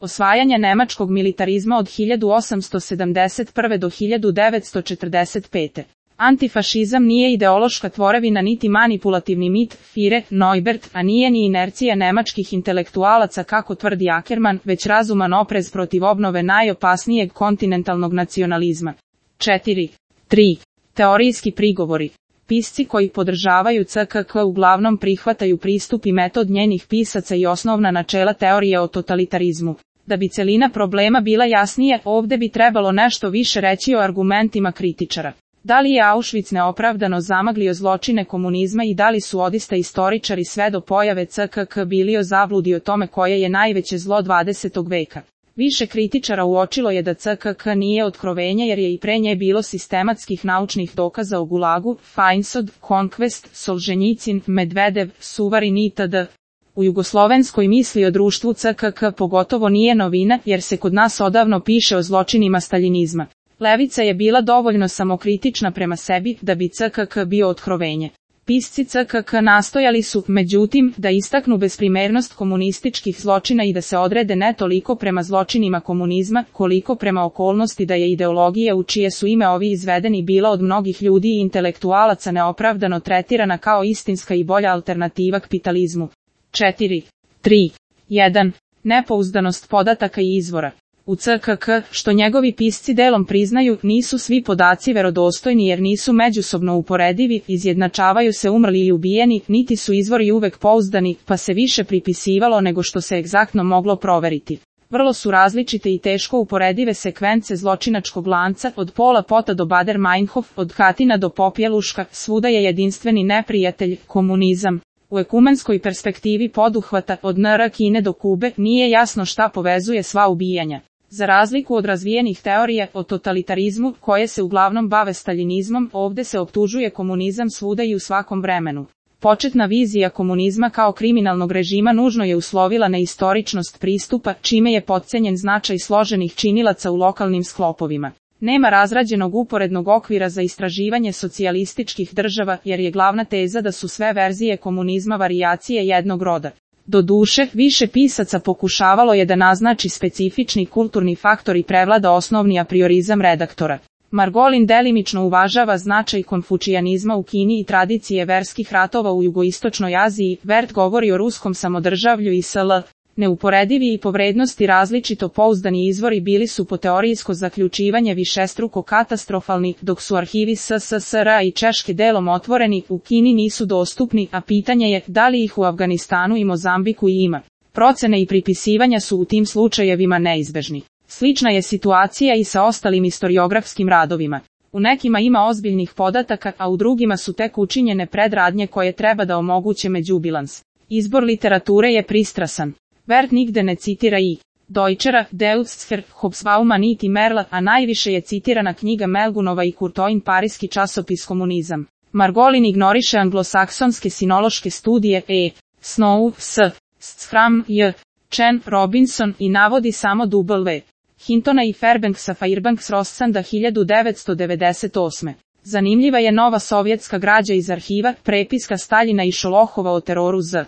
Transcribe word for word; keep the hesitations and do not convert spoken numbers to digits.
Osvajanje nemačkog militarizma od hiljadu osamsto sedamdeset prve do hiljadu devetsto četrdeset pete. Antifašizam nije ideološka tvorevina niti manipulativni mit, Führer, Neubert, a nije ni inercija nemačkih intelektualaca kako tvrdi Ackermann, već razuman oprez protiv obnove najopasnijeg kontinentalnog nacionalizma. četiri. tri. Teorijski prigovori. Pisci koji podržavaju C K K uglavnom prihvataju pristup i metod njenih pisaca i osnovna načela teorije o totalitarizmu. Da bi celina problema bila jasnije, ovde bi trebalo nešto više reći o argumentima kritičara. Da li je Auschwitz neopravdano zamaglio zločine komunizma i da li su odista istoričari sve do pojave C K K bili o zabludi o tome koje je najveće zlo dvadesetog veka? Više kritičara uočilo je da C K K nije otkrovenje jer je i pre nje bilo sistematskih naučnih dokaza o Gulagu, Feinsod, Conquest, Solženjicin, Medvedev, Suvarin itd. U jugoslovenskoj misli o društvu C K K pogotovo nije novina jer se kod nas odavno piše o zločinima staljinizma. Levica je bila dovoljno samokritična prema sebi da bi C K K bio otkrovenje. Pisci C K K nastojali su, međutim, da istaknu besprimernost komunističkih zločina i da se odrede ne toliko prema zločinima komunizma, koliko prema okolnosti da je ideologija u čije su ime ovi izvedeni bila od mnogih ljudi i intelektualaca neopravdano tretirana kao istinska i bolja alternativa kapitalizmu. četiri. tri. jedan. Nepouzdanost podataka i izvora. U C K K, što njegovi pisci delom priznaju, nisu svi podaci verodostojni jer nisu međusobno uporedivi, izjednačavaju se umrli i ubijeni, niti su izvori uvek pouzdani, pa se više pripisivalo nego što se egzaktno moglo proveriti. Vrlo su različite i teško uporedive sekvence zločinačkog lanca, od Pola Pota do Bader Meinhof, od Katina do Popjeluška, svuda je jedinstveni neprijatelj, komunizam. U ekumenskoj perspektivi poduhvata, od N R Kine do Kube, nije jasno šta povezuje sva ubijanja. Za razliku od razvijenih teorija o totalitarizmu, koje se uglavnom bave staljinizmom, ovde se optužuje komunizam svuda i u svakom vremenu. Početna vizija komunizma kao kriminalnog režima nužno je uslovila neistoričnost pristupa, čime je potcenjen značaj složenih činilaca u lokalnim sklopovima. Nema razrađenog uporednog okvira za istraživanje socijalističkih država, jer je glavna teza da su sve verzije komunizma varijacije jednog roda. Doduše, više pisaca pokušavalo je da naznači specifični kulturni faktor i prevlada osnovni apriorizam redaktora. Margolin delimično uvažava značaj konfučijanizma u Kini i tradicije verskih ratova u jugoistočnoj Aziji, Vert govori o ruskom samodržavlju i S L. Neuporedivi i po vrednosti različito pouzdani izvori bili su po teorijsko zaključivanje višestruko katastrofalni, dok su arhivi S S S R i Češke delom otvoreni, u Kini nisu dostupni, a pitanje je da li ih u Afganistanu i Mozambiku i ima. Procene i pripisivanja su u tim slučajevima neizbežni. Slična je situacija i sa ostalim historiografskim radovima. U nekima ima ozbiljnih podataka, a u drugima su tek učinjene predradnje koje treba da omoguće međubilans. Izbor literature je pristrasan. Vert nigde ne citira i Deutschera, Deutscher, Hobsbauma niti Merla, a najviše je citirana knjiga Melgunova i Courtoin Parijski časopis Komunizam. Margolin ignoriše anglosaksonske sinološke studije E. Snow, S. Schramm, J. Chen, Robinson i navodi samo W. Hintona i Fairbanksa Fairbanks Rossanda hiljadu devetsto devedeset osme. Zanimljiva je nova sovjetska građa iz arhiva, prepiska Staljina i Šolohova o teroru Z.